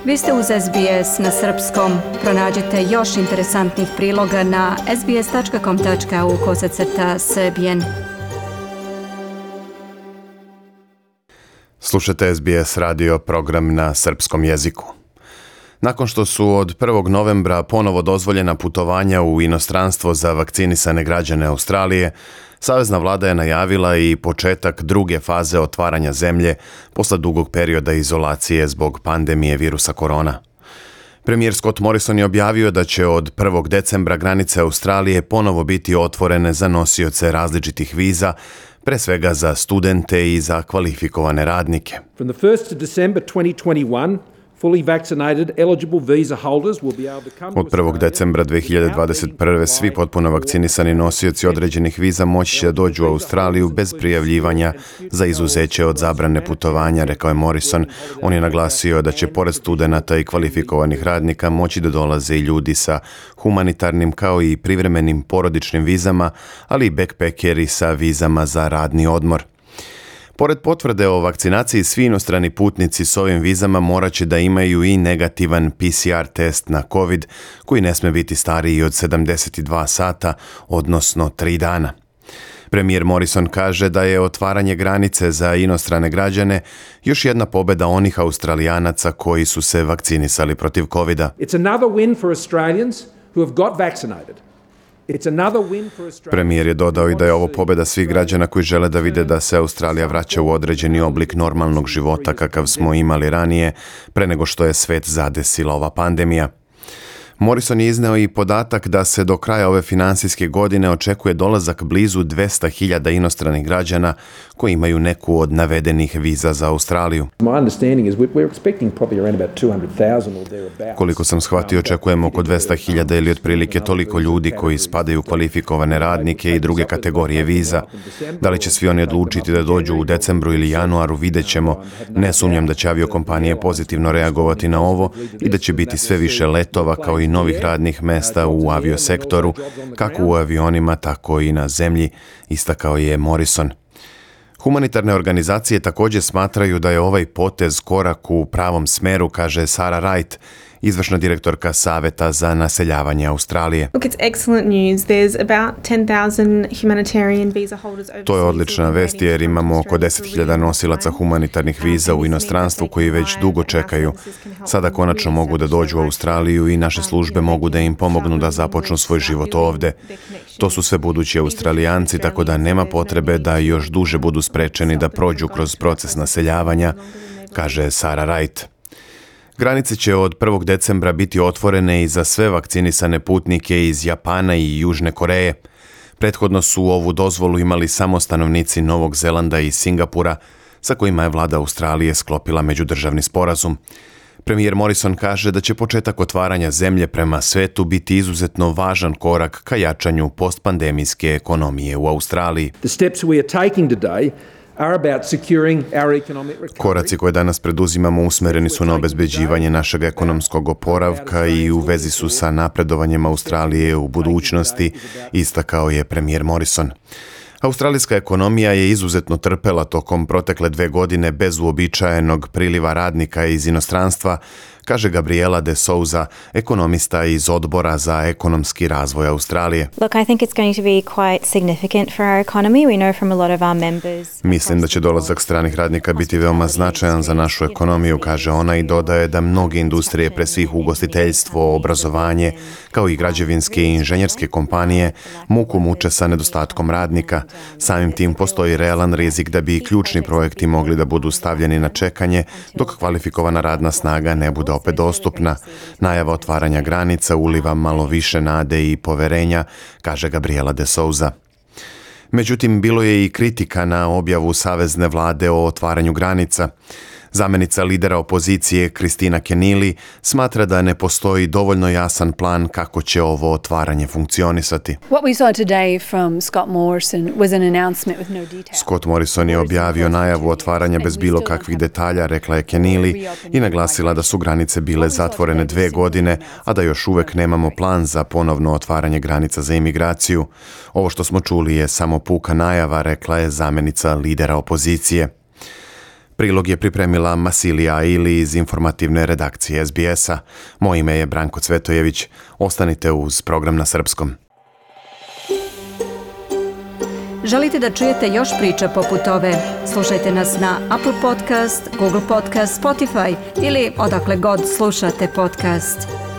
Vi ste uz SBS na srpskom. Pronađite još interesantnih priloga na sbs.com.au/srbijen. Slušate SBS radio program na srpskom jeziku. Nakon što su od 1. novembra ponovo dozvoljena putovanja u inostranstvo za vakcinisane građane Australije, Savezna vlada je najavila i početak druge faze otvaranja zemlje posle dugog perioda izolacije zbog pandemije virusa korona. Premijer Scott Morrison je objavio da će od 1. decembra granice Australije ponovo biti otvorene za nosioce različitih viza, pre svega za studente i za kvalifikovane radnike. From the 1st of December 2021, fully vaccinated eligible visa holders will be able to come Od 1. decembra 2021. svi potpuno vakcinisani nosioci određenih viza moći će da dođu u Australiju bez prijavljivanja za izuzeće od zabrane putovanja, rekao je Morrison. On je naglasio da će pored studenata i kvalifikovanih radnika moći da dolaze i ljudi sa humanitarnim kao i privremenim porodičnim vizama, ali i backpackeri sa vizama za radni odmor. Pored potvrde o vakcinaciji, svi inostrani putnici s ovim vizama morat će da imaju i negativan PCR test na COVID, koji ne sme biti stariji od 72 sata, odnosno 3 dana. Premijer Morrison kaže da je otvaranje granice za inostrane građane još jedna pobeda onih Australijanaca koji su se vakcinisali protiv COVID-a. It's another win for Australians who have got vaccinated. Premijer je dodao i da je ovo pobjeda svih građana koji žele da vide da se Australija vraća u određeni oblik normalnog života kakav smo imali ranije, pre nego što je svet zadesila ova pandemija. Morrison je izneo i podatak da se do kraja ove finansijske godine očekuje dolazak blizu 200.000 inostranih građana koji imaju neku od navedenih viza za Australiju. Koliko sam shvatio, očekujemo oko 200.000 ili otprilike toliko ljudi koji spadaju u kvalifikovane radnike i druge kategorije viza. Da li će svi oni odlučiti da dođu u decembru ili januaru, vidjet ćemo. Ne sumnjam da će aviokompanije pozitivno reagovati na ovo i da će biti sve više letova kao i novih radnih mesta u aviosektoru, kako u avionima, tako i na zemlji, istakao je Morrison. Humanitarne organizacije također smatraju da je ovaj potez korak u pravom smeru, kaže Sarah Wright, izvršna direktorka Saveta za naseljavanje Australije. To je odlična vest jer imamo oko 10.000 nosilaca humanitarnih viza u inostranstvu koji već dugo čekaju. Sada konačno mogu da dođu u Australiju i naše službe mogu da im pomognu da započnu svoj život ovde. To su sve budući Australijanci, tako da nema potrebe da još duže budu sprečeni da prođu kroz proces naseljavanja, kaže Sarah Wright. Granice će od 1. decembra biti otvorene i za sve vakcinisane putnike iz Japana i Južne Koreje. Prethodno su ovu dozvolu imali samo stanovnici Novog Zelanda i Singapura, sa kojima je vlada Australije sklopila međudržavni sporazum. Premijer Morrison kaže da će početak otvaranja zemlje prema svetu biti izuzetno važan korak ka jačanju postpandemijske ekonomije u Australiji. Koraci koje danas preduzimamo usmereni su na obezbeđivanje našeg ekonomskog oporavka i u vezi su sa napredovanjem Australije u budućnosti, istakao je premijer Morrison. Australijska ekonomija je izuzetno trpela tokom protekle 2 godine bez uobičajenog priliva radnika iz inostranstva, kaže Gabriela De Souza, ekonomista iz Odbora za ekonomski razvoj Australije. Mislim da će dolazak stranih radnika biti veoma značajan za našu ekonomiju, kaže ona i dodaje da mnoge industrije, pre svih ugostiteljstvo, obrazovanje, kao i građevinske i inženjerske kompanije, muku muče sa nedostatkom radnika. Samim tim postoji realan rizik da bi ključni projekti mogli da budu stavljeni na čekanje dok kvalifikovana radna snaga ne bude opet dostupna. Najava otvaranja granica uliva malo više nade i poverenja, kaže Gabriela De Souza. Međutim, bilo je i kritika na objavu savezne vlade o otvaranju granica. Zamenica lidera opozicije Kristina Keneally smatra da ne postoji dovoljno jasan plan kako će ovo otvaranje funkcionisati. Scott Morrison je objavio najavu otvaranja bez bilo kakvih detalja, rekla je Keneally, i naglasila da su granice bile zatvorene 2 godine, a da još uvek nemamo plan za ponovno otvaranje granica za imigraciju. Ovo što smo čuli je samo puka najava, rekla je zamenica lidera opozicije. Prilog je pripremila Masilija ili iz informativne redakcije SBS-a. Moje ime je Branko Cvetojević. Ostanite uz program na srpskom. Želite da čujete još priča poput ove? Slušajte nas na Apple Podcast, Google Podcast, Spotify ili odakle god slušate podcast.